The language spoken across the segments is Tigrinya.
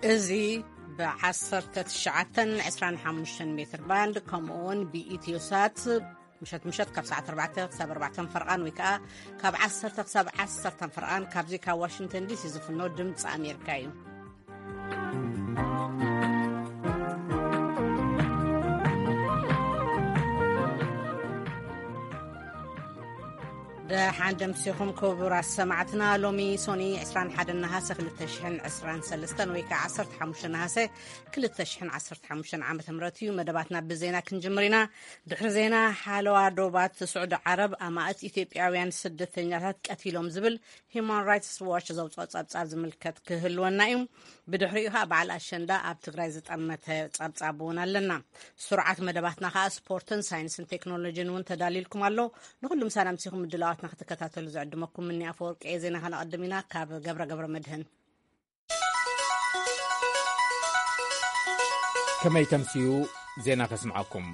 እዚ ብ19 25 ሜትር ባንድ፣ ከምኡ እውን ብኢትዮ ሳት ምሸት ምሸት ካብ ሰዓት 4 ክሳብ 4 ፈርቓን፣ ወይ ከዓ ካብ 10 ክሳብ 10 ፈርቓን፣ ካብዚ ካብ ዋሽንግተን ዲሲ ዝፍኖ ድምፂ ኣሜሪካ እዩ። ደሓን ደምሲኹም ክቡራት ሰማዕትና። ሎሚ ሶኒ 21 ነሃሰ 2023 ወይ ከዓ 15 ነሃሰ 2015 ዓመተ ምህረት እዩ። መደባትና ብዜና ክንጅምር ኢና። ድሕሪ ዜና፣ ሓለዋ ዶባት ስዑዲ ዓረብ ኣማእት ኢትዮጵያውያን ስደተኛታት ቀቲሎም ዝብል ሂማን ራይትስ ዋች ዘውፅኦ ፀብፃብ ዝምልከት ክህልወና እዩ። ብድሕሪኡ ከዓ በዓል ኣሸንዳ ኣብ ትግራይ ዝጠመተ ፀብፃብ እውን ኣለና። ስርዓት መደባትና ከዓ ስፖርትን ሳይንስን ቴክኖሎጂን እውን ተዳሊልኩም ኣሎ። ንኩሉ ምሳና ምሲኹም ምድላዋትና ክትከታተሉ ዝዕድመኩም ምኒ ኣፈወርቂ እየ። ዜና ከነቐድም ኢና። ካብ ገብረ ገብረ መድህን። ከመይ ተምስዩ? ዜና ከስምዓኩም።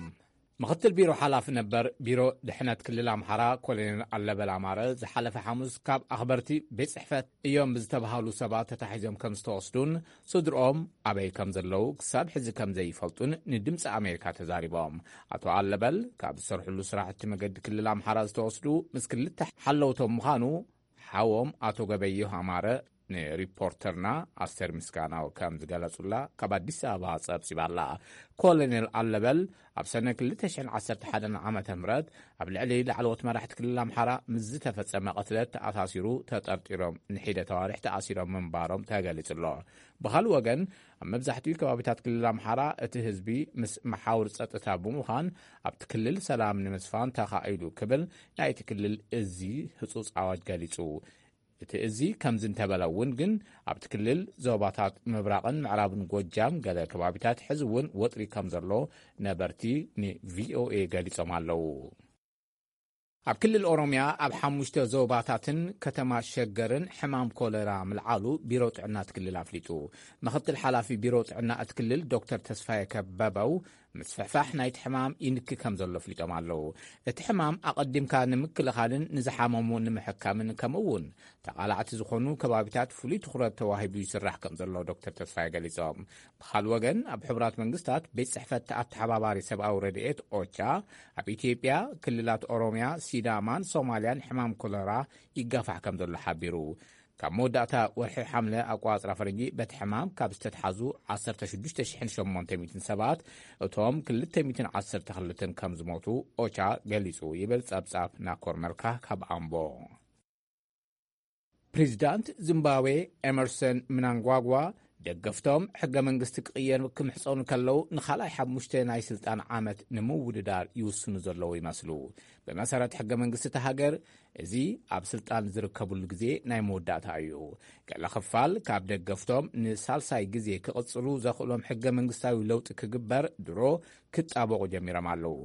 ምኽትል ቢሮ ሓላፊ ነበር ቢሮ ድሕነት ክልል ኣምሓራ ኮሎኔል ኣለበል ኣማረ ዝሓለፈ ሓሙስ ካብ ኣኽበርቲ ቤት ጽሕፈት እዮም ብዝተባሃሉ ሰባት ተታሒዞም ከም ዝተወስዱን ስድርኦም ኣበይ ከም ዘለዉ ክሳብ ሕዚ ከም ዘይፈልጡን ንድምፂ ኣሜሪካ ተዛሪቦም። ኣቶ ኣለበል ካብ ዝሰርሕሉ ስራሕቲ መገዲ ክልል ኣምሓራ ዝተወስዱ ምስ ክልተ ሓለውቶም ምዃኑ ሓዎም ኣቶ ገበየሁ ኣማረ ንሪፖርተርና ኣስቴር ምስጋናው ከም ዝገለጹላ ካብ ኣዲስ ኣበባ ጸብጺባ ኣላ። ኮሎኔል ኣለበል ኣብ ሰነ 2011 ዓመተ ምህረት ኣብ ልዕሊ ላዕለዎት መራሕቲ ክልል ኣምሓራ ምስ ዝተፈጸመ ቅትለት ተኣሳሲሩ ተጠርጢሮም ንሒደት ኣዋርሕ ተኣሲሮም ምንባሮም ተገሊጹ ኣሎ። ብኻልእ ወገን፣ ኣብ መብዛሕትኡ ከባቢታት ክልል ኣምሓራ እቲ ህዝቢ ምስ መሓውር ጸጥታ ብምዃን ኣብቲ ክልል ሰላም ንምስፋን ተኻኢሉ ክብል ናይቲ ክልል እዚ ህጹጽ ኣዋጅ ገሊጹ። እቲ እዚ ከምዚ እንተበለ እውን ግን ኣብቲ ክልል ዞባታት ምብራቕን ምዕራብን ጎጃም ገለ ከባቢታት ሕዚ እውን ወጥሪ ከም ዘሎ ነበርቲ ንቪኦኤ ገሊጾም ኣለዉ። ኣብ ክልል ኦሮምያ ኣብ ሓሙሽተ ዞባታትን ከተማ ሸገርን ሕማም ኮለራ ምልዓሉ ቢሮ ጥዕና እቲ ክልል ኣፍሊጡ። ምኽትል ሓላፊ ቢሮ ጥዕና እቲ ክልል ዶክተር ተስፋየ ከበበው ምስፍሕፋሕ ናይቲ ሕማም ይንኪ ከም ዘሎ ኣፍሊጦም ኣለዉ። እቲ ሕማም ኣቐዲምካ ንምክልኻልን ንዝሓመሙ ንምሕካምን ከምኡ እውን ተቓላዕቲ ዝኾኑ ከባቢታት ፍሉይ ትኹረት ተዋሂቡ ይስራሕ ከም ዘሎ ዶክተር ተስፋየ ገሊጾም። ብኻልእ ወገን ኣብ ሕቡራት መንግስታት ቤት ጽሕፈት ኣተሓባባሪ ሰብኣዊ ረድኤት ኦቻ ኣብ ኢትዮጵያ ክልላት ኦሮምያ፣ ሲዳማን ሶማልያን ሕማም ኮለራ ይጋፋሕ ከም ዘሎ ሓቢሩ። ካብ መወዳእታ ወርሒ ሓምለ ኣቋጽራ ፈረንጂ በቲ ሕማም ካብ ዝተትሓዙ 16,800 ሰባት እቶም 212 ከም ዝሞቱ ኦቻ ገሊጹ ይብል ጸብጻብ ናኮር መልካ ካብ ኣምቦ። ፕሬዚዳንት ዚምባብዌ ኤመርሰን ምናንጓጓ ደገፍቶም ሕገ መንግስቲ ክቕየር ክምሕጸኑ ከለዉ ንኻልኣይ ሓሙሽተ ናይ ስልጣን ዓመት ንምውድዳር ይውስኑ ዘለዉ ይመስሉ። ብመሰረት ሕገ መንግስቲ እታ ሃገር፣ እዚ ኣብ ስልጣን ዝርከብሉ ግዜ ናይ መወዳእታ እዩ። ገለ ክፋል ካብ ደገፍቶም ንሳልሳይ ግዜ ክቕጽሉ ዘኽእሎም ሕገ መንግስታዊ ለውጢ ክግበር ድሮ ክጣበቑ ጀሚሮም ኣለዉ።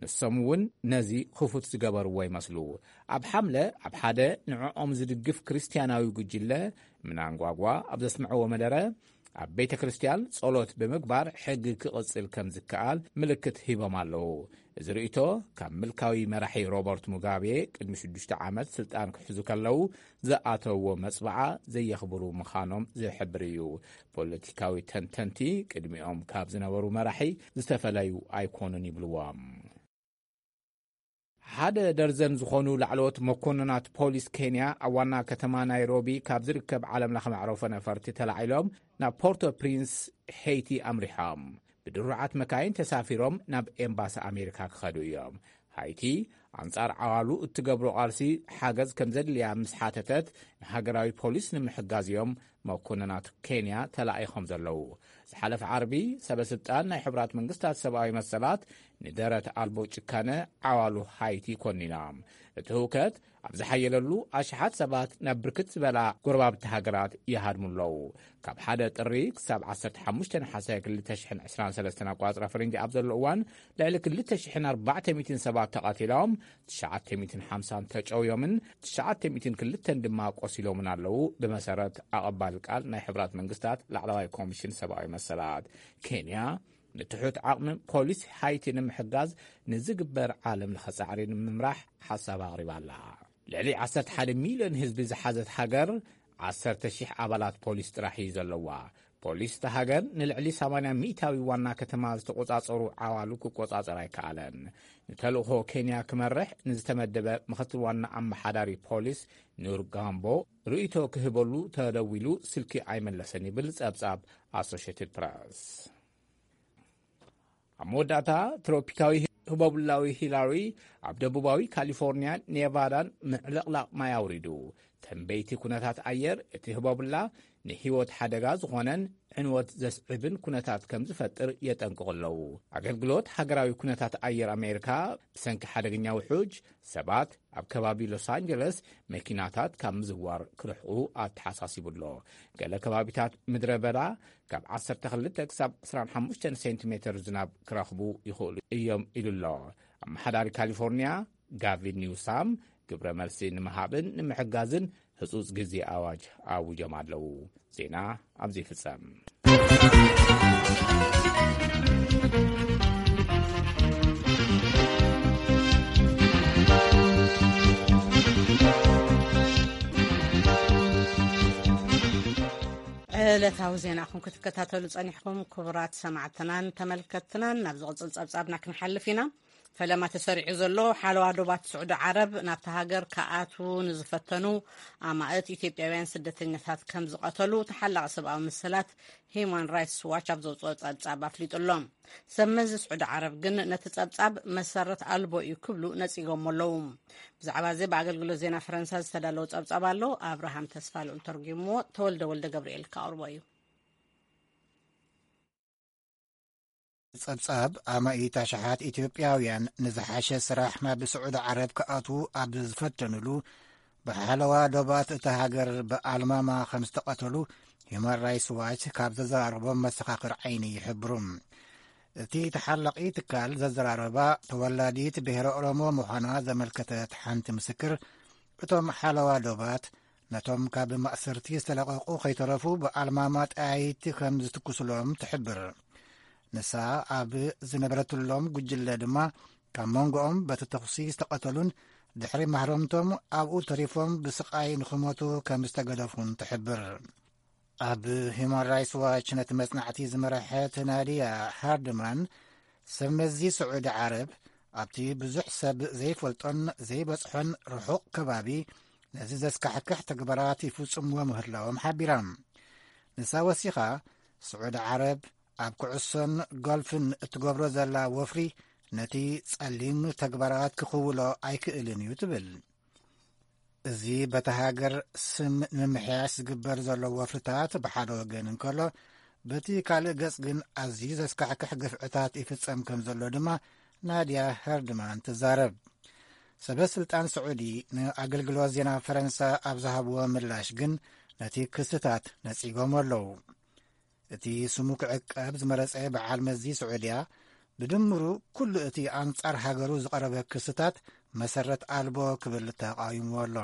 ንሶም እውን ነዚ ክፉት ዝገበርዎ ይመስሉ። ኣብ ሓምለ ኣብ ሓደ ንዕኦም ዝድግፍ ክርስትያናዊ ጉጅለ ምናንጓጓ ኣብ ዘስምዕዎ መደረ፣ ኣብ ቤተ ክርስቲያን ጸሎት ብምግባር ሕጊ ክቕጽል ከም ዝከኣል ምልክት ሂቦም ኣለዉ። እዚ ርእይቶ ካብ ምልካዊ መራሒ ሮበርት ሙጋቤ ቅድሚ ሽዱሽተ ዓመት ስልጣን ክሕዙ ከለዉ ዝኣተውዎ መጽብዓ ዘየኽብሩ ምዃኖም ዝሕብር እዩ። ፖለቲካዊ ተንተንቲ ቅድሚኦም ካብ ዝነበሩ መራሒ ዝተፈለዩ ኣይኮኑን ይብልዎም። ሓደ ደርዘን ዝኾኑ ላዕለዎት መኮንናት ፖሊስ ኬንያ ኣብ ዋና ከተማ ናይሮቢ ካብ ዝርከብ ዓለም ለኸ መዕረፎ ነፈርቲ ተላዒሎም ናብ ፖርቶ ፕሪንስ ሄይቲ ኣምሪሖም። ብድሩዓት መካይን ተሳፊሮም ናብ ኤምባሲ ኣሜሪካ ክኸዱ እዮም። ሃይቲ ኣንጻር ዓዋሉ እትገብሮ ቃልሲ ሓገዝ ከም ዘድልያ ምስ ሓተተት ንሃገራዊ ፖሊስ ንምሕጋዝ እዮም መኮንናት ኬንያ ተላኢኾም ዘለዉ። ዝሓለፈ ዓርቢ ሰበ ስልጣን ናይ ሕቡራት መንግስታት ሰብኣዊ መሰላት ንደረት ኣልቦ ጭካነ ዓዋሉ ሃይቲ ኮኒኖም። እቲ ህውከት ኣብ ዝሓየለሉ ኣሽሓት ሰባት ናብ ብርክት ዝበላ ጎረባብቲ ሃገራት ይሃድሙ ኣለዉ። ካብ ሓደ ጥሪ ክሳብ 15 ነሓሰ 2023 ኣቋጽራ ፈረንጂ ኣብ ዘሎ እዋን ልዕሊ 2,400 ሰባት ተቐቲሎም፣ 950 ተጨውዮምን 902 ድማ ቆሲሎምን ኣለዉ። ብመሰረት ኣቐባሊ ቃል ናይ ሕብራት መንግስታት ላዕለዋይ ኮሚሽን ሰብኣዊ መሰላት ኬንያ፣ ንትሑት ዓቕሚ ፖሊስ ሃይቲ ንምሕጋዝ ንዝግበር ዓለም ለኸ ጻዕሪ ንምምራሕ ሓሳብ ኣቕሪባ ኣላ። ልዕሊ 11 ሚልዮን ህዝቢ ዝሓዘት ሃገር 10,000 ኣባላት ፖሊስ ጥራሕ እዩ ዘለዋ። ፖሊስ እታ ሃገር ንልዕሊ ሰማንያ ሚእታዊ ዋና ከተማ ዝተቖጻጸሩ ዓዋሉ ክቆጻጸር ኣይከኣለን። ንተልእኾ ኬንያ ክመርሕ ንዝተመደበ ምኽትል ዋና ኣመሓዳሪ ፖሊስ ኑር ጋምቦ ርእይቶ ክህበሉ ተደዊሉ ስልኪ ኣይመለሰን ይብል ጸብጻብ ኣሶሽየትድ ፕረስ። ኣብ መወዳእታ፣ ትሮፒካዊ ህቦብላዊ ሂላሪ ኣብ ደቡባዊ ካሊፎርኒያን ኔቫዳን ምዕልቕላቕ ማይ ኣውሪዱ። ተንበይቲ ኩነታት ኣየር እቲ ህቦብላ ንህይወት ሓደጋ ዝኾነን ዕንወት ዘስዕብን ኩነታት ከም ዝፈጥር የጠንቅቑ ኣለዉ። ኣገልግሎት ሃገራዊ ኩነታት ኣየር ኣሜሪካ፣ ብሰንኪ ሓደገኛ ውሑጅ ሰባት ኣብ ከባቢ ሎስ ኣንጀለስ መኪናታት ካብ ምዝዋር ክርሕቑ ኣተሓሳሲቡ ኣሎ። ገለ ከባቢታት ምድረ በዳ ካብ ዓሰርተ ክልተ ክሳብ ዕስራን ሓሙሽተን ሴንቲሜተር ዝናብ ክረኽቡ ይኽእሉ እዮም ኢሉ ኣሎ። ኣመሓዳሪ ካሊፎርኒያ ጋቪን ኒውሳም ግብረ መልሲ ንምሃብን ንምሕጋዝን ህጹጽ ግዜ ኣዋጅ ኣዊጆም ኣለዉ። ዜና ኣብዚ ይፍጸም። ዕለታዊ ዜናኹም ክትከታተሉ ጸኒሕኩም፣ ክቡራት ሰማዕትናን ተመልከትትናን፣ ናብ ዝቕጽል ጸብጻብና ክንሓልፍ ኢና። ፈለማ ተሰሪዑ ዘሎ ሓለዋ ዶባት ስዑዲ ዓረብ ናብታ ሃገር ክኣትዉ ንዝፈተኑ ኣማእት ኢትዮጵያውያን ስደተኛታት ከም ዝቐተሉ ተሓላቒ ሰብኣዊ መሰላት ሂዩማን ራይትስ ዋች ኣብ ዘውፅኦ ጸብጻብ ኣፍሊጡ ኣሎ። ሰብ መዚ ስዑዲ ዓረብ ግን ነቲ ጸብጻብ መሰረት ኣልቦ እዩ ክብሉ ነጺጎሞ ኣለዉ። ብዛዕባ እዚ ብኣገልግሎት ዜና ፈረንሳ ዝተዳለወ ጸብጻብ ኣሎ። ኣብርሃም ተስፋ ልዑል ተርጉምዎ፣ ተወልደ ወልደ ገብርኤል ከቕርቦ እዩ። ጸብጻብ ኣማኢት ኣሽሓት ኢትዮጵያውያን ንዝሓሸ ስራሕ ናብ ስዑዲ ዓረብ ክኣትዉ ኣብ ዝፈተኑሉ ብሓለዋ ዶባት እታ ሃገር ብኣልማማ ከም ዝተቐተሉ ሂዩማን ራይትስ ዋች ካብ ዘዘራረቦም መሰኻኽር ዓይኒ ይሕብሩ። እቲ ተሓላቒ ትካል ዘዘራረባ ተወላዲት ብሄረ ኦሮሞ ምዃና ዘመልከተት ሓንቲ ምስክር፣ እቶም ሓለዋ ዶባት ነቶም ካብ ማእሰርቲ ዝተለቐቑ ከይተረፉ ብኣልማማ ጠያይቲ ከም ዝትኩስሎም ትሕብር። ንሳ ኣብ ዝነበረትሎም ጉጅለ ድማ ካብ መንጎኦም በቲ ተኹሲ ዝተቐተሉን ድሕሪ ማህረምቶም ኣብኡ ተሪፎም ብስቓይ ንኽሞቱ ከም ዝተገደፉን ትሕብር። ኣብ ሂዩማን ራይትስ ዋች ነቲ መጽናዕቲ ዝመርሐት ናድያ ሃርድማን፣ ሰብ መዚ ስዑዲ ዓረብ ኣብቲ ብዙሕ ሰብ ዘይፈልጦን ዘይበጽሖን ርሑቕ ከባቢ ነዚ ዘስካሕክሕ ተግባራት ይፍጽምዎ ምህላዎም ሓቢራ። ንሳ ወሲኻ፣ ስዑዲ ዓረብ ኣብ ኩዕሶን ጎልፍን እትገብሮ ዘላ ወፍሪ ነቲ ጸሊም ተግባራት ክኽውሎ ኣይክእልን እዩ ትብል። እዚ በታ ሃገር ስም ንምምሕያሽ ዝግበር ዘሎ ወፍርታት ብሓደ ወገን እንከሎ፣ በቲ ካልእ ገጽ ግን ኣዝዩ ዘስካሕክሕ ግፍዕታት ይፍጸም ከም ዘሎ ድማ ናድያ ሄርድማን ትዛረብ። ሰበ ስልጣን ስዑዲ ንኣገልግሎት ዜና ፈረንሳ ኣብ ዝሃብዎ ምላሽ ግን ነቲ ክስታት ነጺጎም ኣለዉ። እቲ ስሙ ክዕቀብ ዝመረጸ በዓል መዚ ስዑድያ፣ ብድምሩ ኩሉ እቲ ኣንጻር ሃገሩ ዝቐረበ ክስታት መሰረት ኣልቦ ክብል ተቓዊምዎ ኣሎ።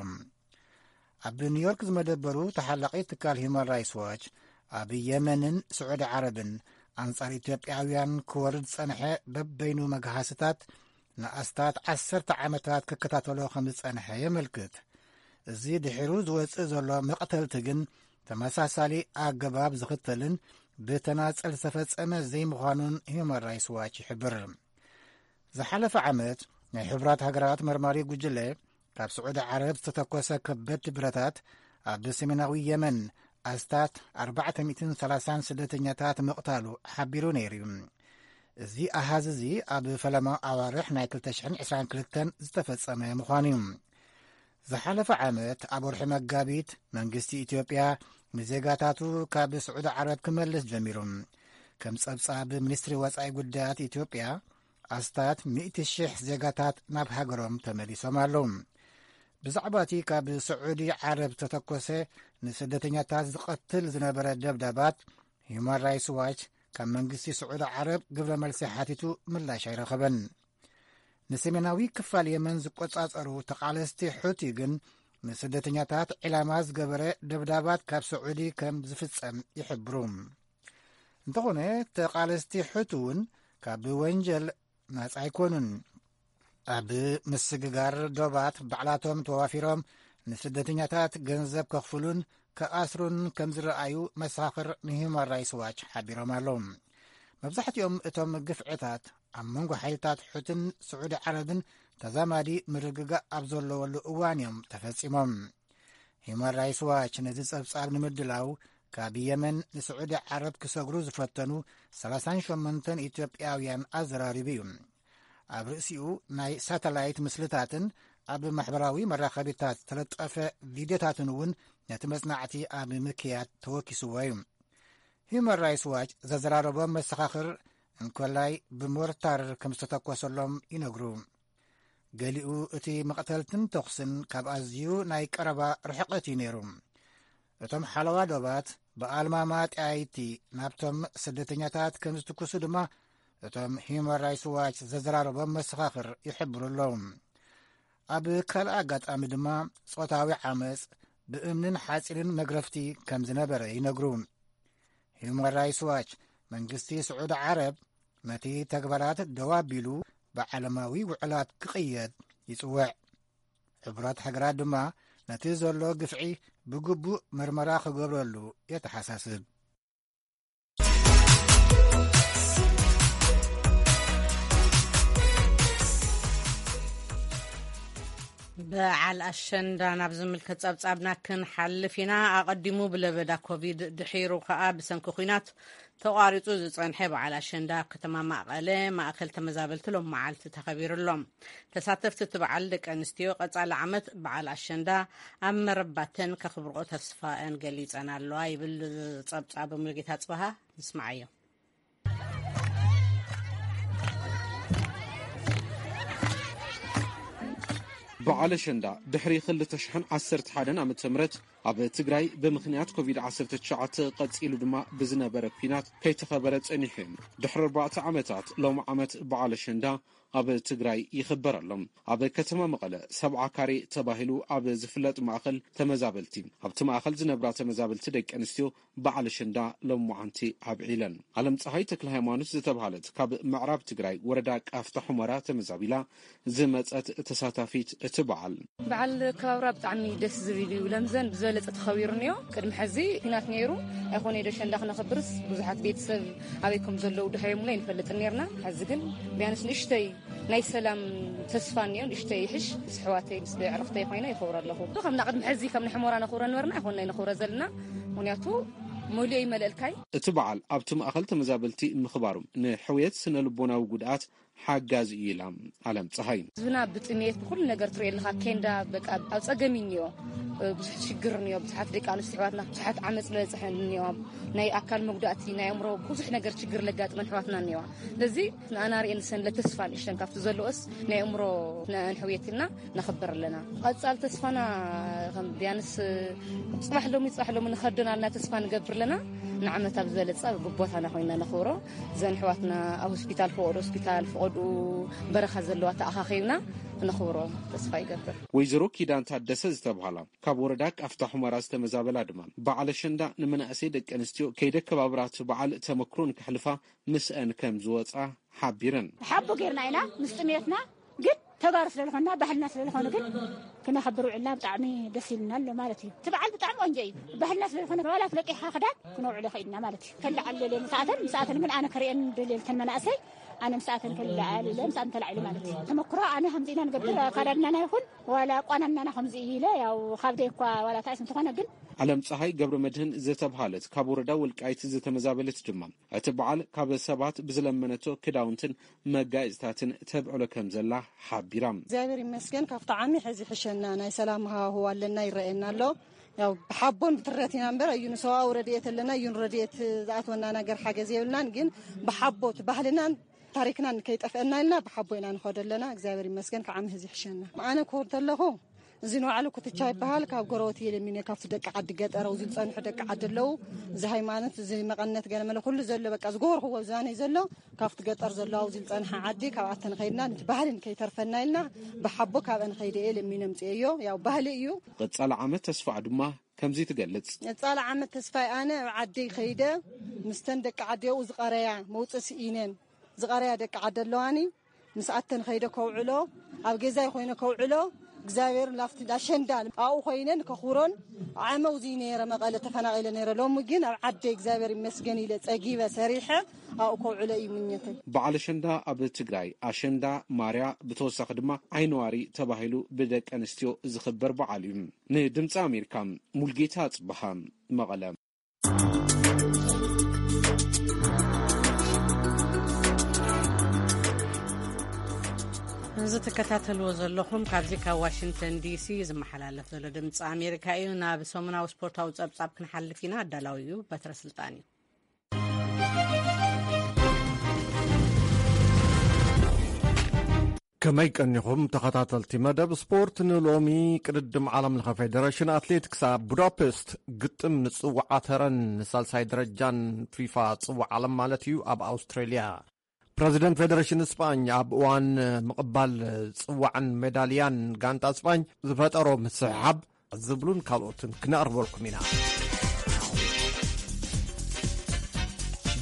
ኣብ ኒውዮርክ ዝመደበሩ ተሓላቒ ትካል ሂዩማን ራይትስ ዋች፣ ኣብ የመንን ስዑዲ ዓረብን ኣንጻር ኢትዮጵያውያን ክወርድ ዝጸንሐ በበይኑ መግሃስታት ንኣስታት ዓሰርተ ዓመታት ክከታተሎ ከም ዝጸንሐ የመልክት። እዚ ድሒሩ ዝወጽእ ዘሎ መቕተልቲ ግን ተመሳሳሊ ኣገባብ ዝኽተልን ብተናጸል ዝተፈጸመ ዘይምዃኑን ሂዩማን ራይትስ ዋች ይሕብር። ዝሓለፈ ዓመት ናይ ሕቡራት ሃገራት መርማሪ ጉጅለ ካብ ስዑዲ ዓረብ ዝተተኮሰ ከበድቲ ብረታት ኣብ ሰሜናዊ የመን ኣስታት ኣርባዕተ ሚእትን ሰላሳን ስደተኛታት ምቕታሉ ሓቢሩ ነይሩ እዩ። እዚ ኣሃዝ እዚ ኣብ ፈለማ ኣዋርሕ ናይ ክልተ ሽሕን ዕስራን ክልተን ዝተፈጸመ ምዃኑ እዩ። ዝሓለፈ ዓመት ኣብ ወርሒ መጋቢት መንግስቲ ኢትዮጵያ ንዜጋታቱ ካብ ስዑዲ ዓረብ ክመልስ ጀሚሩ። ከም ጸብጻብ ሚኒስትሪ ወጻኢ ጉዳያት ኢትዮጵያ፣ ኣስታት ሚእቲ ሽሕ ዜጋታት ናብ ሃገሮም ተመሊሶም ኣለዉ። ብዛዕባ እቲ ካብ ስዑዲ ዓረብ ዝተተኮሰ ንስደተኛታት ዝቐትል ዝነበረ ደብዳባት፣ ሂዩማን ራይትስ ዋች ካብ መንግስቲ ስዑዲ ዓረብ ግብረ መልሲ ሓቲቱ ምላሽ ኣይረኸበን። ንሰሜናዊ ክፋል የመን ዝቆጻጸሩ ተቓለስቲ ሑቲ ግን ንስደተኛታት ዒላማ ዝገበረ ደብዳባት ካብ ስዑዲ ከም ዝፍጸም ይሕብሩ። እንተኾነ፣ ተቓለስቲ ሑቲ እውን ካብ ወንጀል ናጻ ኣይኮኑን። ኣብ ምስግጋር ዶባት ባዕላቶም ተዋፊሮም ንስደተኛታት ገንዘብ ከኽፍሉን ክኣስሩን ከም ዝረኣዩ መሰኻኽር ንሂዩማን ራይትስ ዋች ሓቢሮም ኣለዉ። መብዛሕትኦም እቶም ግፍዕታት ኣብ መንጎ ሓይልታት ሑትን ስዑዲ ዓረብን ተዛማዲ ምርግጋእ ኣብ ዘለወሉ እዋን እዮም ተፈጺሞም። ሂዩማን ራይትስ ዋች ነዚ ጸብጻብ ንምድላው ካብ የመን ንስዑዲ ዓረብ ክሰግሩ ዝፈተኑ ሰላሳን ሸሞንተን ኢትዮጵያውያን ኣዘራሪቡ እዩ። ኣብ ርእሲኡ ናይ ሳተላይት ምስልታትን ኣብ ማሕበራዊ መራኸቢታት ዝተለጠፈ ቪድዮታትን እውን ነቲ መጽናዕቲ ኣብ ምክያድ ተወኪስዎ እዩ። ሂዩማን ራይትስ ዋች ዘዘራረቦም መሰኻኽር እንኮላይ ብሞርታር ከም ዝተተኮሰሎም ይነግሩ። ገሊኡ እቲ መቕተልትን ተኹስን ካብ ኣዝዩ ናይ ቀረባ ርሕቀት እዩ ነይሩ። እቶም ሓለዋ ዶባት ብኣልማማ ጠያይቲ ናብቶም ስደተኛታት ከም ዝትኩሱ ድማ እቶም ሂዩማን ራይትስ ዋች ዘዘራረቦም መሰኻኽር ይሕብሩ ኣለዉ። ኣብ ካልእ ኣጋጣሚ ድማ ጾታዊ ዓመጽ ብእምንን ሓጺንን መግረፍቲ ከም ዝነበረ ይነግሩ። ሂዩማን ራይትስ ዋች መንግስቲ ስዑዲ ዓረብ ነቲ ተግባራት ደው ኣቢሉ ብዓለማዊ ውዕላት ክቕየድ ይጽውዕ። ሕቡራት ሃገራት ድማ ነቲ ዘሎ ግፍዒ ብግቡእ ምርመራ ክገብረሉ የተሓሳስብ። በዓል ኣሸንዳ ናብ ዝምልከት ጸብጻብና ክንሓልፍ ኢና። ኣቐዲሙ ብለበዳ ኮቪድ፣ ድሒሩ ከኣ ብሰንኪ ኲናት ተቋሪጹ ዝጸንሐ በዓል ኣሸንዳ ኣብ ከተማ መቐለ ማእከል ተመዛበልቲ ሎም መዓልቲ ተኸቢሩ ኣሎ። ተሳተፍቲ እቲ በዓል ደቂ ኣንስትዮ ቀጻሊ ዓመት በዓል ኣሸንዳ ኣብ መረባተን ከኽብርኦ ተስፋአን ገሊጸን ኣለዋ ይብል ጸብጻብ ሙሉጌታ ጽበሃ። ንስማዓዮ። በዓል ኣሸንዳ ድሕሪ ክልተ ሽሕን ዓሰርተ ሓደን ዓመተ ምህረት ኣብ ትግራይ ብምኽንያት ኮቪድ ዓሰርተ ትሽዓተ ቀጺሉ ድማ ብዝነበረ ኲናት ከይተኸበረ ጸኒሑ እዩ። ድሕሪ ኣርባዕተ ዓመታት ሎም ዓመት በዓል ኣሸንዳ ኣብ ትግራይ ይኽበር ኣሎ። ኣብ ከተማ መቐለ ሰብዓ ካሬ ተባሂሉ ኣብ ዝፍለጥ ማእኸል ተመዛበልቲ፣ ኣብቲ ማእኸል ዝነብራ ተመዛበልቲ ደቂ ኣንስትዮ በዓል ኣሸንዳ ሎማዓንቲ ኣብዒለን። ኣለም ፀሃይ ተክለ ሃይማኖት ዝተብሃለት ካብ ምዕራብ ትግራይ ወረዳ ቃፍታ ሑመራ ተመዛቢላ ዝመፀት ተሳታፊት እቲ በዓል። በዓል ኣከባብራ ብጣዕሚ ደስ ዝብል እዩ። ለምዘን ብዝበለፀ ተኸቢሩ እኒኦ። ቅድሚ ሕዚ ኲናት ነይሩ ኣይኮነ ዶ ኣሸንዳ ክነኽብርስ ብዙሓት ቤተሰብ ኣበይ ከም ዘለዉ ድሃዮምላ ኣይንፈልጥን ነርና። ሕዚ ግን ቢያንስ ንእሽተይ ናይ ሰላም ተስፋ እኒኦ። ንእሽተይ ይሕሽ ምስ ኣሕዋተይ ምስ ኣዕሩኽተይ ኮይነ ይኸብሮ ኣለኹ። ከም ናብ ቅድሚ ሕዚ ከም ናይ ሕሞራ ነኽብሮ ነበርና ኣይኮንና ነኽብሮ ዘለና። ምኽንያቱ መሊኡ ይመልእልካይ። እቲ በዓል ኣብቲ ማእኸል ተመዛበልቲ ምኽባሩ ንሕውየት ስነ ልቦናዊ ጉድኣት ሓጋዚ እዩ ኢላ ኣለም ፀሃይ። ህዝብና ብጥሜት ብኩሉ ነገር ትሪኦ ኣለኻ። ኬንዳ በቃ ኣብ ፀገም እዩ እኒኦ። ብዙሕ ሽግር እኒኦ። ብዙሓት ደቂ ኣንስትዮ ኣሕዋትና ብዙሓት ዓመፅ ዝበፅሐን እኒኦ። ናይ ኣካል መጉዳእቲ፣ ናይ ኣእምሮ ብዙሕ ነገር ሽግር ለጋጥመን ኣሕዋትና እኒዋ። ስለዚ ንኣና ሪኤን ሰንለ ተስፋ ንእሽተን ካብቲ ዘለኦስ ናይ ኣእምሮ ንሕውየት ኢልና ነኽብር ኣለና። ቀፃል ተስፋና ከም ቢያንስ ፅባሕ ሎሚ፣ ፅባሕ ሎሚ ንኸደና ኣለና ተስፋ ንገብር ኣለና። ንዓመት ኣብ ዝበለፀ ኣብ ቦታና ኮይና ነኽብሮ። እዘን ኣሕዋትና ኣብ ሆስፒታል፣ ፈቐዶ ሆስፒታል፣ ፈቐዶ በረኻ ዘለዋ ተኣኻኺብና ክነኽብሮ ተስፋ ይገብር። ወይዘሮ ኪዳን ታደሰ ዝተብሃላ ካብ ወረዳ ቃፍታ ሑመራ ዝተመዛበላ ድማ በዓል ኣሸንዳ ንመናእሰይ ደቂ ኣንስትዮ ከይደከባብራ እቲ በዓል ተመክሮ ንከሕልፋ ምስአን ከም ዝወፃ ሓቢረን። ሓቦ ጌርና ኢና ምስ ጥሜትና፣ ግን ተጋሩ ስለ ዝኾንና ባህልና ስለ ዝኾነ ግን ክነኽብር ውዕልና ብጣዕሚ ደስ ኢልና ኣሎ ማለት እዩ። እቲ በዓል ብጣዕሚ ቆንጆ እዩ። ባህልና ስለ ዝኾነ ዋላ ፍለቂኻ ክዳን ክነውዕሎ ኽኢልና ማለት እዩ። ከለዓል ደልየ ምሳኣተን፣ ምሳኣተን ግን ኣነ ክርእየን ደልየ ተን መናእሰይ ኣነ ምሳኣተን ከለዓል ኢለ ምሳኣተን ተላዒሉ ማለት እዩ። ተመክሮ ኣነ ከምዚ ኢና ንገብር ኣካዳድናና ይኹን ዋላ ኣቋናንናና ከምዚ እዩ ኢለ ያው ካብ ደይ እኳ ዋላ ታይስ እንተኾነ ግን ዓለም ፀሃይ ገብረ መድህን ዝተብሃለት ካብ ወረዳ ወልቃይት ዝተመዛበለት ድማ እቲ በዓል ካብ ሰባት ብዝለመነቶ ክዳውንትን መጋየፅታትን ተብዕሎ ከም ዘላ ሓቢራ። እግዚኣብሔር ይመስገን ካብቲ ዓሚ ሕዚ ሕሸና ናይ ሰላም ሃዋህው ኣለና ይረኣየና ኣሎ። ያው ብሓቦን ብትረት ኢና እምበር እዩ ንሰብኣዊ ረድኤት ኣለና እዩ ረድኤት ዝኣትወና ነገር ሓገዝ የብልናን። ግን ብሓቦ እቲ ባህልናን ታሪክናን ከይጠፍአና ኢልና ብሓቦ ኢና ንኸዶ ኣለና። እግዚኣብሔር ይመስገን ካብ ዓሚ ሕዚ ይሕሸና። ኣነ ክኸው እንተለኹ እዚ ንባዕሉ ኩትቻ ይበሃል። ካብ ጎረቤት እየ ለሚነ፣ ካብቲ ደቂ ዓዲ ገጠር ኣብዚ ዝጸንሑ ደቂ ዓዲ ኣለዉ። እዚ ሃይማኖት፣ እዚ መቐነት ገለ መለ ኩሉ ዘሎ በቃ ዝገበርክዎ ዝባነይ ዘሎ ካብቲ ገጠር ዘሎ ኣብዚ ዝጸንሐ ዓዲ ካብኣተን ከይድና ነቲ ባህልን ከይተርፈና ኢልና ብሓቦ ካብአን ከይደ እየ ለሚነ ምጽኤዮ። ያው ባህሊ እዩ። ቀጻሊ ዓመት ተስፋ ድማ ከምዚ ትገልጽ። ቀጻሊ ዓመት ተስፋይ ኣነ ኣብ ዓደይ ከይደ ምስተን ደቂ ዓዲ ኣብኡ ዝቐረያ መውጽእ ስኢነን ዝቐረያ ደቂ ዓዲ ኣለዋኒ። ምስኣተን ከይደ ከውዕሎ፣ ኣብ ገዛይ ኮይነ ከውዕሎ፣ እግዚኣብሔር ላፍቲ ኣሸንዳ ኣብኡ ኮይነን ከኹሮን ዓመው ዝይ ነይረ መቐለ ተፈናቒለ ነይረ። ሎሚ ግን ኣብ ዓደ እግዚኣብሔር ይመስገን ኢለ ጸጊበ ሰሪሐ ኣብኡ ከውዕሎ እዩ ምኘተይ። በዓል ኣሸንዳ ኣብ ትግራይ ኣሸንዳ ማርያ ብተወሳኺ ድማ ዓይነዋሪ ተባሂሉ ብደቂ ኣንስትዮ ዝኽበር በዓል እዩ። ንድምፂ ኣሜሪካ ሙልጌታ ጽብሃ መቐለ። እዚ ትከታተልዎ ዘለኹም ካብዚ ካብ ዋሽንግተን ዲሲ ዝመሓላለፍ ዘሎ ድምፂ ኣሜሪካ እዩ። ናብ ሰሙናዊ ስፖርታዊ ጸብጻብ ክንሓልፍ ኢና። ኣዳላዊ እዩ በትረ ስልጣን እዩ። ከመይ ቀኒኹም ተኸታተልቲ መደብ ስፖርት? ንሎሚ ቅድድም ዓለም ለኸ ፌደሬሽን ኣትሌቲክስ ኣብ ቡዳፔስት ግጥም ንጽዋዓ ተረን ንሳልሳይ ደረጃን ፊፋ ጽዋዕ ዓለም ማለት እዩ ኣብ ኣውስትሬልያ። ፕረዚደንት ፌደሬሽን ስጳኝ ኣብ እዋን ምቕባል ጽዋዕን ሜዳልያን ጋንታ ስጳኝ ዝፈጠሮ ምስሕሓብ ዝብሉን ካልኦትን ክነቕርበልኩም ኢና።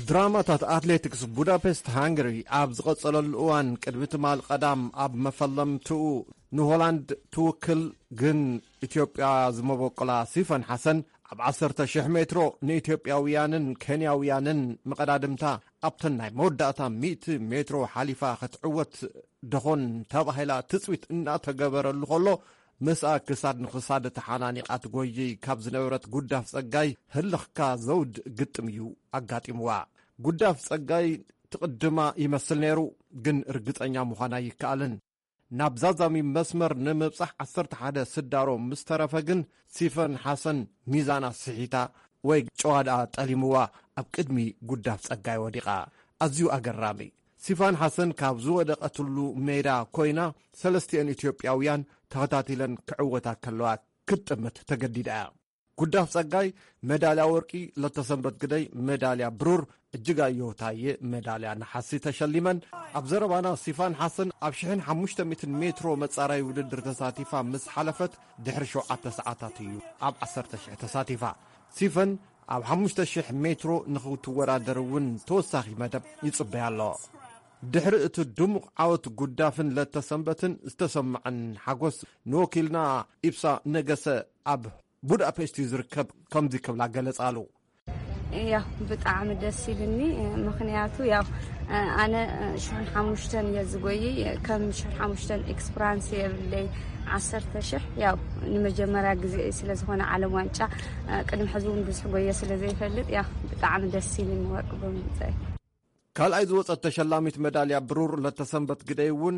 ድራማታት ኣትሌቲክስ ቡዳፔስት ሃንገሪ ኣብ ዝቐጸለሉ እዋን ቅድሚ ትማል ቀዳም ኣብ መፈለምትኡ ንሆላንድ ትውክል ግን ኢትዮጵያ ዝመበቆላ ሲፈን ሓሰን ኣብ ዓሰርተ ሽሕ ሜትሮ ንኢትዮጵያውያንን ኬንያውያንን መቐዳድምታ ኣብተን ናይ መወዳእታ ሚእቲ ሜትሮ ሓሊፋ ክትዕወት ደኾን ተባሂላ ትጽቢት እናተገበረሉ ከሎ ምስኣ ክሳድ ንኽሳድ ተሓናኒቓ ትጎይይ ካብ ዝነበረት ጉዳፍ ጸጋይ ህልኽካ ዘውድ ግጥም እዩ ኣጋጢምዋ። ጉዳፍ ጸጋይ ትቕድማ ይመስል ነይሩ፣ ግን ርግጸኛ ምዃን ኣይከኣልን። ናብ ዛዛሚ መስመር ንምብጻሕ ዓሰርተ ሓደ ስዳሮ ምስ ተረፈ ግን ሲፈን ሓሰን ሚዛና ስሒታ ወይ ጨዋዳ ጠሊምዋ ኣብ ቅድሚ ጉዳፍ ጸጋይ ወዲቓ። ኣዝዩ ኣገራሚ። ሲፋን ሓሰን ካብ ዝወደቐትሉ ሜዳ ኮይና ሰለስቲኤን ኢትዮጵያውያን ተኸታቲለን ክዕወታ ከለዋ ክትጥምት ተገዲዳ እያ። ጉዳፍ ጸጋይ ሜዳልያ ወርቂ፣ ለተሰንበት ግደይ ሜዳልያ ብሩር፣ እጅጋየሁ ታየ ሜዳልያ ነሓሲ ተሸሊመን። ኣብ ዘረባና ሲፋን ሓሰን ኣብ ሽሕን ሓሙሽተ ሚእትን ሜትሮ መጻራይ ውድድር ተሳቲፋ ምስ ሓለፈት ድሕሪ ሸውዓተ ሰዓታት እዩ ኣብ ዓሰርተ ሽሕ ተሳቲፋ። ሲፈን ኣብ ሓሙሽተ ሽሕ ሜትሮ ንኽትወዳደር እውን ተወሳኺ መደብ ይጽበያ ኣሎ። ድሕሪ እቲ ድሙቕ ዓወት ጉዳፍን ለተሰንበትን ዝተሰምዐን ሓጎስ ንወኪልና ኢብሳ ነገሰ ኣብ ቡዳፔስት እዩ ዝርከብ ከምዚ ክብላ ገለጻሉ። ያው ብጣዕሚ ደስ ኢልኒ። ምኽንያቱ ያው ኣነ ሽሕን ሓሙሽተን እየ ዝጎይ። ከም ሽሕን ሓሙሽተን ኤክስፕራንስ የብለይ። ዓሰርተ ሽሕ ያው ንመጀመርያ ግዜ ስለ ዝኾነ ዓለም ዋንጫ ቅድሚ ሕዚ እውን ብዙሕ ጎየ ስለ ዘይፈልጥ ያው ብጣዕሚ ደስ ኢልኒ ወርቂ ብምምፀይ። ካልኣይ ዝወጸት ተሸላሚት መዳልያ ብሩር ለተሰንበት ግደይ እውን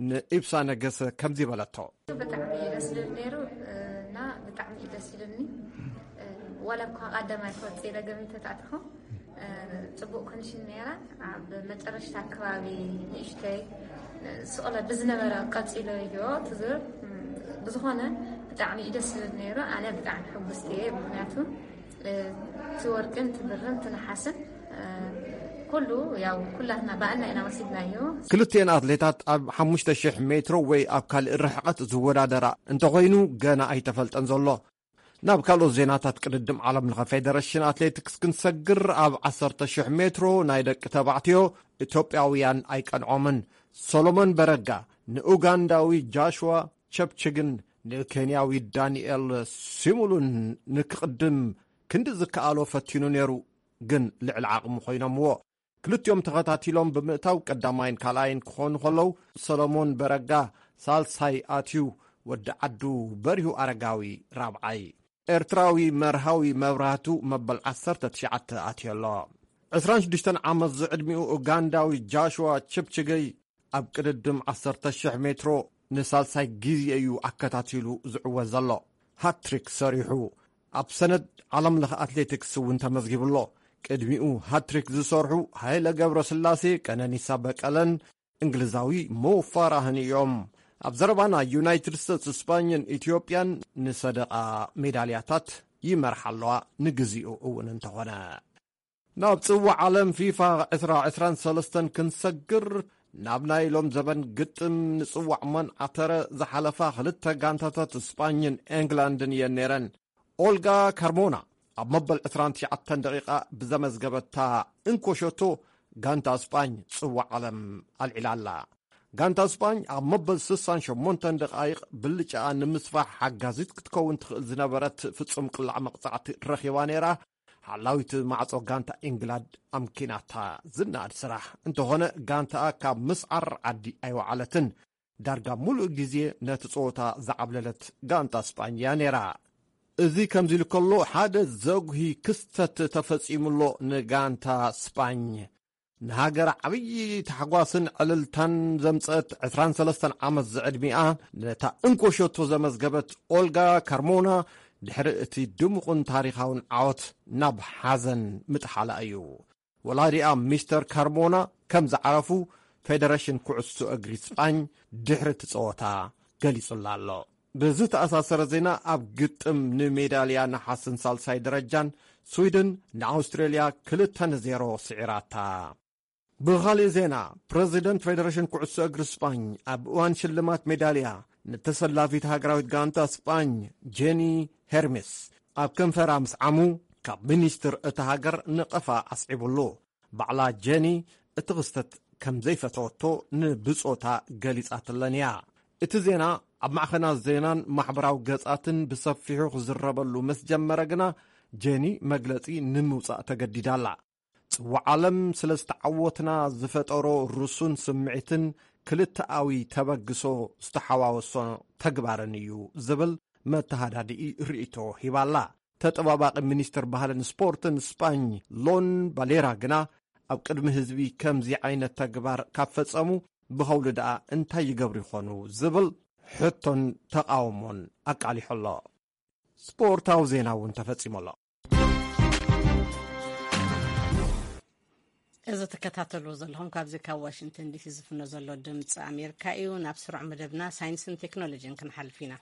ንኢብሳ ነገሰ ከምዚ በለቶ። ብጣዕሚ እዩ ደስ ዝብል ነይሩ፣ እና ብጣዕሚ እዩ ደስ ዝብልኒ። ዋላ እኳ ቀዳማይ ክወጽእ ኢለ ገሚተ ተኣትኹ፣ ጽቡቕ ኮንዲሽን ነይራ። ኣብ መጨረሽታ ኣከባቢ ንእሽተይ ስቕለ ብዝነበረ ቀጺለ እዮ ትዝር። ብዝኾነ ብጣዕሚ እዩ ደስ ዝብል ነይሩ። ኣነ ብጣዕሚ ሕጉስቲ እየ፣ ምኽንያቱ እቲ ወርቅን እቲ ብርን እቲ ነሓስን ኩሉ ያው ኩላትና ብኣና ኢና ወሲድናዮ። ክልቲኤን ኣትሌታት ኣብ ሓሙሽተ ሽሕ ሜትሮ ወይ ኣብ ካልእ ርሕቐት ዝወዳደራ እንተኾይኑ ገና ኣይተፈልጠን ዘሎ። ናብ ካልኦት ዜናታት ቅድድም ዓለም ለኸ ፌደሬሽን ኣትሌቲክስ ክንሰግር ኣብ ዓሰርተ ሽሕ ሜትሮ ናይ ደቂ ተባዕትዮ ኢትዮጵያውያን ኣይቀንዖምን። ሶሎሞን በረጋ ንኡጋንዳዊ ጃሽዋ ቸፕችግን ንኬንያዊ ዳንኤል ሲሙሉን ንክቕድም ክንዲ ዝከኣሎ ፈቲኑ ነይሩ፣ ግን ልዕሊ ዓቕሙ ኮይኖምዎ። ክልቲኦም ተኸታቲሎም ብምእታው ቀዳማይን ካልኣይን ክኾኑ ከለዉ፣ ሰሎሞን በረጋ ሳልሳይ ኣትዩ፣ ወዲ ዓዱ በሪሁ ኣረጋዊ ራብዓይ። ኤርትራዊ መርሃዊ መብራህቱ መበል ዓሰርተ ትሽዓተ ኣትዩ ኣሎ። ዕስራን ሽዱሽተን ዓመት ዝዕድሚኡ ኡጋንዳዊ ጃሽዋ ችፕችገይ ኣብ ቅድድም ዓሰርተ ሽሕ ሜትሮ ንሳልሳይ ግዜ እዩ ኣከታቲሉ ዝዕወት ዘሎ። ሃትሪክ ሰሪሑ ኣብ ሰነድ ዓለም ለኸ ኣትሌቲክስ እውን ተመዝጊቡ ኣሎ። ቅድሚኡ ሃትሪክ ዝሰርሑ ሃይለ ገብረስላሴ፣ ቀነኒሳ በቀለን እንግሊዛዊ ሞ ፋራህን እዮም። ኣብ ዘረባና ዩናይትድ ስቴትስ፣ ስፓኝን ኢትዮጵያን ንሰደቓ ሜዳልያታት ይመርሓ ኣለዋ፣ ንግዚኡ እውን እንተኾነ። ናብ ጽዋዕ ዓለም ፊፋ ዕስራ ዕስራን ሰለስተን ክንሰግር፣ ናብ ናይ ሎም ዘበን ግጥም ንጽዋዕ መን ኣተረ ዝሓለፋ ክልተ ጋንታታት ስጳኝን ኤንግላንድን እየን ነይረን። ኦልጋ ካርሞና ኣብ መበል ዕስራን ትሽዓተን ደቂቓ ብዘመዝገበታ እንኮ ሸቶ ጋንታ ስጳኝ ጽዋዕ ዓለም ኣልዒላ ኣላ። ጋንታ ስጳኝ ኣብ መበል ስሳን ሸሞንተን ደቓይቕ ብልጫኣ ንምስፋሕ ሓጋዚት ክትከውን ትኽእል ዝነበረት ፍጹም ቅላዕ መቕጻዕቲ ረኺባ ነይራ። ሓላዊት ማዕጾ ጋንታ ኢንግላንድ ኣምኪናታ ዝነኣድ ስራሕ። እንተኾነ ጋንታኣ ካብ ምስዓር ዓዲ ኣይወዓለትን። ዳርጋ ሙሉእ ግዜ ነቲ ጸወታ ዝዓብለለት ጋንታ ስጳኝ እያ ነይራ። እዚ ከምዚ ኢሉ ከሎ ሓደ ዘጉሂ ክስተት ተፈጺሙሎ ንጋንታ ስጳኝ። ንሃገር ዓብዪ ታሕጓስን ዕልልታን ዘምጸት ዕስራን ሰለስተን ዓመት ዝዕድሚኣ ነታ እንኮ ሸቶ ዘመዝገበት ኦልጋ ካርሞና ድሕሪ እቲ ድሙቕን ታሪኻውን ዓወት ናብ ሓዘን ምጥሓላ እዩ። ወላዲኣ ሚስተር ካርሞና ከም ዝዓረፉ ፌደሬሽን ኩዕሶ እግሪ ስጳኝ ድሕሪ እቲ ጸወታ ገሊጹላ ኣሎ። ብዝተኣሳሰረ ዜና ኣብ ግጥም ንሜዳልያ ነሓስን ሳልሳይ ደረጃን ስዊድን ንኣውስትሬልያ ክልተ ንዜሮ ስዒራታ። ብኻሊእ ዜና ፕረዚደንት ፌደሬሽን ኩዕሶ እግሪ ስጳኝ ኣብ እዋን ሽልማት ሜዳልያ ንተሰላፊት ሃገራዊት ጋንታ ስጳኝ ጄኒ ሄርሜስ ኣብ ከንፈራ ምስ ዓሙ ካብ ሚኒስትር እታ ሃገር ነቐፋ ኣስዒቡሉ። ባዕላ ጄኒ እቲ ክስተት ከም ዘይፈተወቶ ንብጾታ ገሊጻትለን እያ። እቲ ዜና ኣብ ማዕኸናት ዜናን ማሕበራዊ ገጻትን ብሰፊሑ ክዝረበሉ ምስ ጀመረ ግና ጄኒ መግለጺ ንምውጻእ ተገዲዳ ኣላ። ጽዋዕ ዓለም ስለ ዝተዓወትና ዝፈጠሮ ርሱን ስምዒትን ክልተኣዊ ተበግሶ ዝተሓዋወሶ ተግባርን እዩ ዝብል መተሃዳድኢ ርእይቶ ሂባላ። ተጠባባቒ ሚኒስትር ባህልን ስፖርትን ስጳኝ ሎን ባሌራ ግና ኣብ ቅድሚ ህዝቢ ከምዚ ዓይነት ተግባር ካብ ፈጸሙ ብኸውሊ ደኣ እንታይ ይገብሩ ይኾኑ ዝብል ሕቶን ተቓውሞን ኣቃሊሑ ኣሎ። ስፖርታዊ ዜና እውን ተፈጺሙ ኣሎ። እዚ ትከታተልዎ ዘለኹም ካብዚ ካብ ዋሽንግተን ዲሲ ዝፍኖ ዘሎ ድምፂ ኣሜሪካ እዩ። ናብ ስሩዕ መደብና ሳይንስን ቴክኖሎጂን ክንሓልፍ ኢና።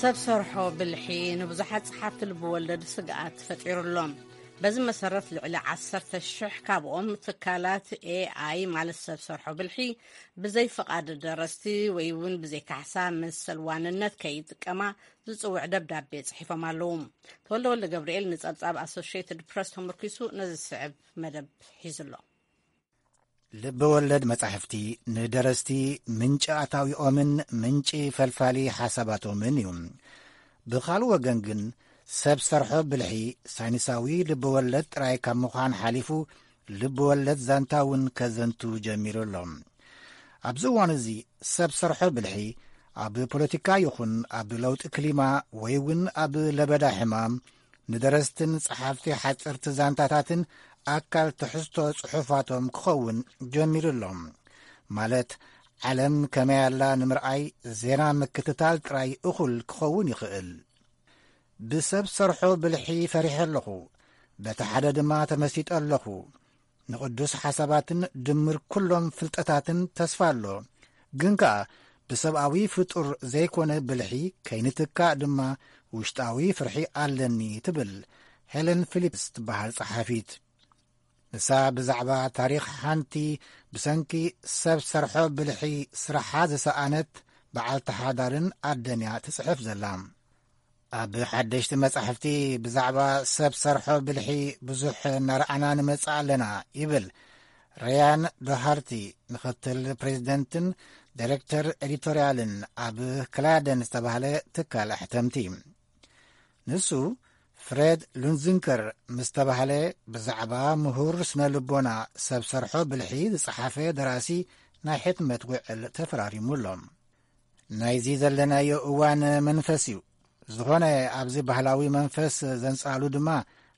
ሰብ ሰርሖ ብልሒ ንብዙሓት ጸሓፍቲ ልቢ ወለድ ስግኣት ፈጢሩ ኣሎ። በዚ መሰረት ልዕሊ ዓሰርተ ሽሕ ካብኦም ትካላት ኤኣይ ማለት ሰብ ሰርሖ ብልሒ ብዘይ ፍቓድ ደረስቲ ወይ እውን ብዘይ ካሕሳ መሰል ዋንነት ከይጥቀማ ዝጽውዕ ደብዳቤ ጽሒፎም ኣለዉ። ተወልደ ወልደ ገብርኤል ንጸብጻብ ኣሶሽየትድ ፕረስ ተመርኪሱ ነዚ ዝስዕብ መደብ ሒዙ ኣሎ። ልቢ ወለድ መጻሕፍቲ ንደረስቲ ምንጪ ኣታዊኦምን ምንጪ ፈልፋሊ ሓሳባቶምን እዩ። ብኻልእ ወገን ግን ሰብ ሰርሖ ብልሒ ሳይንሳዊ ልቢ ወለድ ጥራይ ካብ ምዃን ሓሊፉ ልቢ ወለድ ዛንታ እውን ከዘንቱ ጀሚሩ ኣሎ። ኣብዚ እዋን እዚ ሰብ ሰርሖ ብልሒ ኣብ ፖለቲካ ይኹን ኣብ ለውጢ ክሊማ ወይ እውን ኣብ ለበዳ ሕማም ንደረስትን ጸሓፍቲ ሓጸርቲ ዛንታታትን ኣካል ትሕዝቶ ጽሑፋቶም ክኸውን ጀሚሩ ኣሎ። ማለት ዓለም ከመይ ኣላ ንምርኣይ ዜና ምክትታል ጥራይ እኹል ክኸውን ይኽእል። ብሰብ ሰርሖ ብልሒ ፈሪሐ ኣለኹ፣ በቲ ሓደ ድማ ተመሲጠ ኣለኹ። ንቕዱስ ሓሳባትን ድምር ኩሎም ፍልጠታትን ተስፋ ኣሎ። ግን ከኣ ብሰብኣዊ ፍጡር ዘይኮነ ብልሒ ከይንትካእ ድማ ውሽጣዊ ፍርሒ ኣለኒ ትብል ሄለን ፊሊፕስ ትበሃል ጸሓፊት። ንሳ ብዛዕባ ታሪኽ ሓንቲ ብሰንኪ ሰብ ሰርሖ ብልሒ ስራሓ ዝሰኣነት በዓልቲ ሓዳርን ኣደን እያ ትጽሕፍ ዘላ። ኣብ ሓደሽቲ መጻሕፍቲ ብዛዕባ ሰብ ሰርሖ ብልሒ ብዙሕ እናረኣና ንመጽእ ኣለና ይብል ሪያን ዶሃርቲ፣ ምኽትል ፕሬዚደንትን ዳይሬክተር ኤዲቶርያልን ኣብ ክላደን ዝተባህለ ትካል ኣሕተምቲ። ንሱ ፍሬድ ሉንዚንከር ምስ ተባህለ ብዛዕባ ምሁር ስነ ልቦና ሰብ ሰርሖ ብልሒ ዝጸሓፈ ደራሲ ናይ ሕትመት ውዕል ተፈራሪሙ ኣሎ። ናይዚ ዘለናዮ እዋን መንፈስ እዩ። ዝኾነ ኣብዚ ባህላዊ መንፈስ ዘንጻሉ ድማ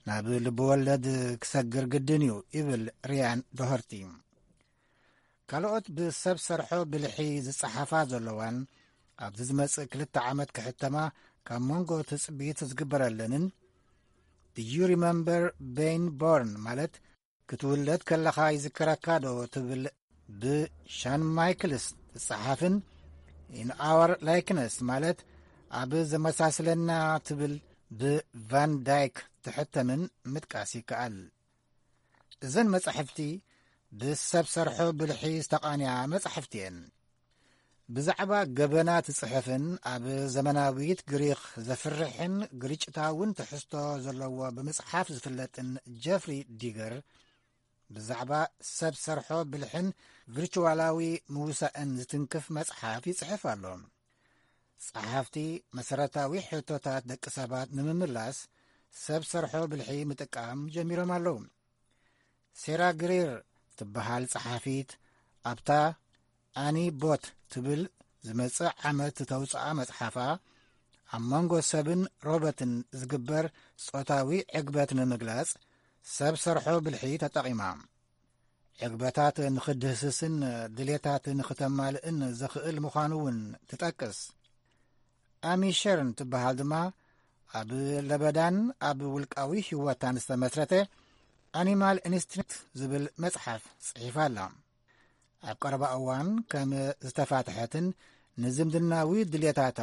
ናብ ልብወለድ ክሰግር ግድን እዩ ይብል ሪያን ዶሀርቲ። ካልኦት ብሰብ ሰርሖ ብልሒ ዝጸሓፋ ዘለዋን ኣብዚ ዝመጽእ ክልተ ዓመት ክሕተማ ካብ መንጎ ትጽቢት ዝግበረለንን Do you remember Ben Bourne ማለት ክትውለድ ከለኻ ይዝከረካ ዶ ትብል ብሻን ማይክልስ ትጸሓፍን In Our Likeness ማለት ኣብ ዘመሳስለና ትብል ብቫን ዳይክ ትሕተምን ምጥቃስ ይከኣል። እዘን መጻሕፍቲ ብሰብ ሰርሖ ብልሒ ዝተቓንያ መጻሕፍቲ እየን። ብዛዕባ ገበናት ዝጽሕፍን ኣብ ዘመናዊት ግሪኽ ዘፍርሕን ግርጭታውን ትሕዝቶ ዘለዎ ብምጽሓፍ ዝፍለጥን ጀፍሪ ዲገር፣ ብዛዕባ ሰብ ሰርሖ ብልሕን ቪርቹዋላዊ ምውሳእን ዝትንክፍ መጽሓፍ ይጽሕፍ ኣሎ። ጸሓፍቲ መሰረታዊ ሕቶታት ደቂ ሰባት ንምምላስ ሰብ ሰርሖ ብልሒ ምጥቃም ጀሚሮም ኣለዉ። ሴራ ግሪር ትበሃል ጸሓፊት ኣብታ ኣኒ ቦት ትብል ዝመጽእ ዓመት ዝተውጽኣ መጽሓፋ፣ ኣብ መንጎ ሰብን ሮበትን ዝግበር ጾታዊ ዕግበት ንምግላጽ ሰብ ሰርሖ ብልሒ ተጠቒማ። ዕግበታት ንኽድህስስን ድሌታት ንኽተማልእን ዘኽእል ምዃኑ እውን ትጠቅስ። ኣሚ ሸርን ትበሃል ድማ ኣብ ለበዳን ኣብ ውልቃዊ ህይወታን ዝተመስረተ ኣኒማል ኢንስቲንክት ዝብል መጽሓፍ ጽሒፋ ኣላ። ኣብ ቀረባ እዋን ከም ዝተፋትሐትን ንዝምድናዊ ድሌታታ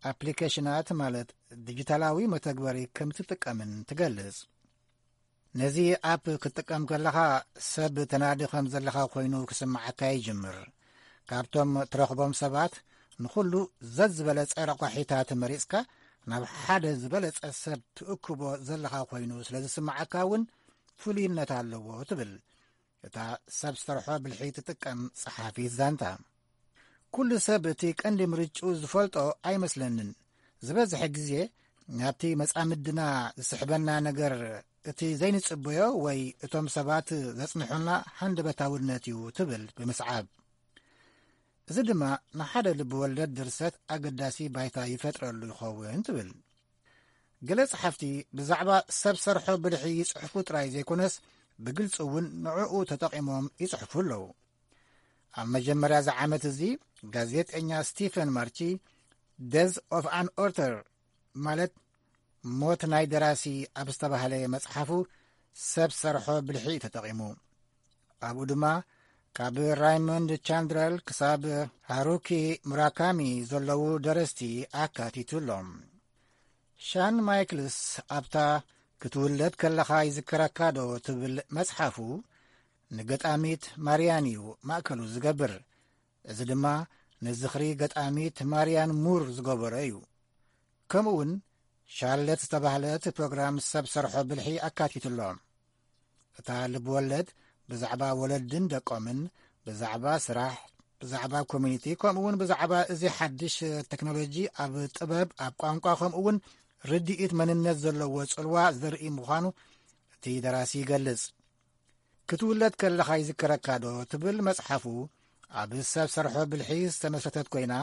ኣፕሊኬሽናት ማለት ዲጂታላዊ መተግበሪ ከም ትጥቀምን ትገልጽ። ነዚ ኣፕ ክትጥቀም ከለኻ ሰብ ተናዲ ከም ዘለኻ ኮይኑ ክስምዓካ ይጅምር። ካብቶም ትረኽቦም ሰባት ንኹሉ ዘዝበለጸ ረቋሒታት መሪጽካ ናብ ሓደ ዝበለጸ ሰብ ትእክቦ ዘለኻ ኮይኑ ስለ ዝስምዓካ እውን ፍሉይነት ኣለዎ ትብል እታ ሰብ ሰርሖ ብልሒ ትጥቀም ጸሓፊት ዛንታ። ኩሉ ሰብ እቲ ቀንዲ ምርጭኡ ዝፈልጦ ኣይመስለንን። ዝበዝሐ ግዜ ናብቲ መጻምድና ዝስሕበና ነገር እቲ ዘይንጽበዮ ወይ እቶም ሰባት ዘጽንሑልና ሃንደበታውነት እዩ ትብል ብምስዓብ። እዚ ድማ ንሓደ ልቢ ወለድ ድርሰት ኣገዳሲ ባይታ ይፈጥረሉ ይኸውን ትብል። ገለ ጸሓፍቲ ብዛዕባ ሰብ ሰርሖ ብልሒ ይጽሕፉ ጥራይ ዘይኮነስ ብግልጺ እውን ንዕኡ ተጠቒሞም ይጽሕፉ ኣለዉ። ኣብ መጀመርያ እዚ ዓመት እዚ ጋዜጠኛ ስቲፈን ማርቺ ደዝ ኦፍ ኣን ኦርተር ማለት ሞት ናይ ደራሲ ኣብ ዝተባህለ መጽሓፉ ሰብ ሰርሖ ብልሒ እዩ ተጠቒሙ። ኣብኡ ድማ ካብ ራይሞንድ ቻንድረል ክሳብ ሃሩኪ ሙራካሚ ዘለዉ ደረስቲ ኣካቲቱ ኣሎ። ሻን ማይክልስ ኣብታ ክትውለድ ከለኻ ይዝከረካ ዶ ትብል መጽሓፉ ንገጣሚት ማርያን እዩ ማእከሉ ዝገብር። እዚ ድማ ንዝኽሪ ገጣሚት ማርያን ሙር ዝገበሮ እዩ። ከምኡ እውን ሻርለት ዝተባህለት ፕሮግራም ሰብ ሰርሖ ብልሒ ኣካቲቱ ኣሎ። እታ ልብወለድ ብዛዕባ ወለድን ደቆምን፣ ብዛዕባ ስራሕ፣ ብዛዕባ ኮሚኒቲ፣ ከምኡ እውን ብዛዕባ እዚ ሓድሽ ቴክኖሎጂ ኣብ ጥበብ፣ ኣብ ቋንቋ፣ ከምኡ እውን ርድኢት መንነት ዘለዎ ጽልዋ ዘርኢ ምዃኑ እቲ ደራሲ ይገልጽ። ክትውለድ ከለኻ ይዝከረካ ዶ ትብል መጽሓፉ ኣብ ሰብ ሰርሖ ብልሒ ዝተመስረተት ኮይና፣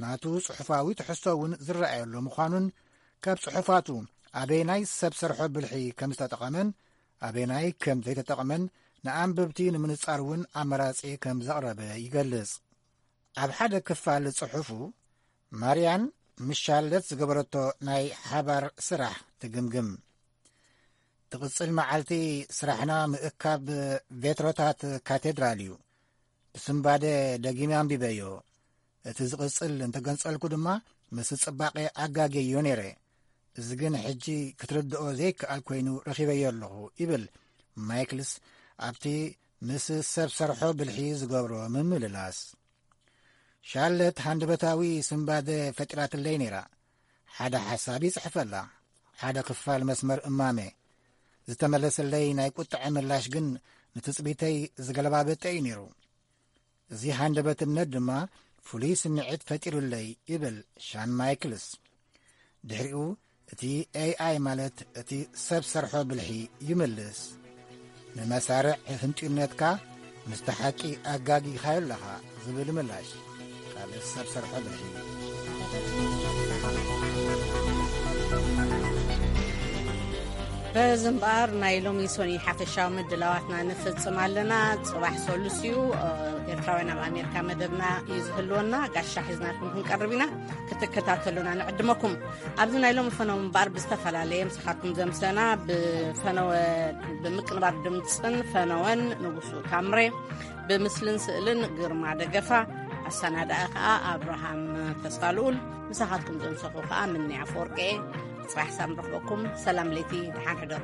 ናቱ ጽሑፋዊ ትሕዝቶ እውን ዝረኣየሉ ምዃኑን ካብ ጽሑፋቱ ኣበይናይ ሰብ ሰርሖ ብልሒ ከም ዝተጠቐመን ኣበይናይ ከም ዘይተጠቕመን ንኣንበብቲ ንምንጻር እውን ኣመራጺ ከም ዘቕረበ ይገልጽ። ኣብ ሓደ ክፋል ጽሑፉ ማርያን ምስ ሻርለት ዝገበረቶ ናይ ሓባር ስራሕ ትግምግም። ትቕጽል መዓልቲ ስራሕና ምእካብ ቬትሮታት ካቴድራል እዩ። ብስንባደ ደጊመ ኣንቢበዮ። እቲ ዝቕጽል እንተገንጸልኩ ድማ ምስ ጽባቐ ኣጋጌዮ ነይረ። እዚ ግን ሕጂ ክትርድኦ ዘይከኣል ኮይኑ ረኺበዮ ኣለኹ ይብል ማይክልስ ኣብቲ ምስ ሰብ ሰርሖ ብልሒ ዝገብሮ ምምልላስ። ሻርለት ሃንደበታዊ ስንባደ ፈጢራትለይ ነይራ። ሓደ ሓሳብ ይጽሕፈላ፣ ሓደ ክፋል መስመር እማመ። ዝተመለሰለይ ናይ ቁጥዐ ምላሽ ግን ንትጽቢተይ ዝገለባበጠ እዩ ነይሩ። እዚ ሃንደበትነት ድማ ፍሉይ ስምዒት ፈጢሩለይ ይብል ሻን ማይክልስ። ድሕሪኡ እቲ ኤኣይ ማለት እቲ ሰብ ሰርሖ ብልሒ ይምልስ። ንመሳርዕ ህንጥዩነትካ ምስቲ ሓቂ ኣጋጊኻዮ ኣለኻ ዝብል ምላሽ ካብ ሰብ ሰርሖ ብልሒ። በዚ እምበኣር ናይ ሎሚ ሶኒ ሓፈሻዊ ምድላዋትና ንፍጽም ኣለና። ጽባሕ ሰሉስ እዩ። ኤርትራውያን ኣብ ኣሜሪካ መደብና እዩ ዝህልወና። ጋሻ ሒዝናልኩም ክንቀርብ ኢና። ክትከታተሉና ንዕድመኩም። ኣብዚ ናይ ሎሚ ፈነወ እምበኣር ብዝተፈላለየ ምሳኻትኩም ዘምሰና ብፈነወ ብምቅንባር ድምፅን ፈነወን ንጉሱ ታምሬ፣ ብምስልን ስእልን ግርማ ደገፋ፣ ኣሰናዳኢ ከዓ ኣብርሃም ተስፋ ልኡል፣ ምሳኻትኩም ዘምሰኹ ከዓ ምንያ ኣፈወርቂ። ፅባሕ ሳብ ንረኽበኩም። ሰላም ለይቲ፣ ደሓን ሕደሩ።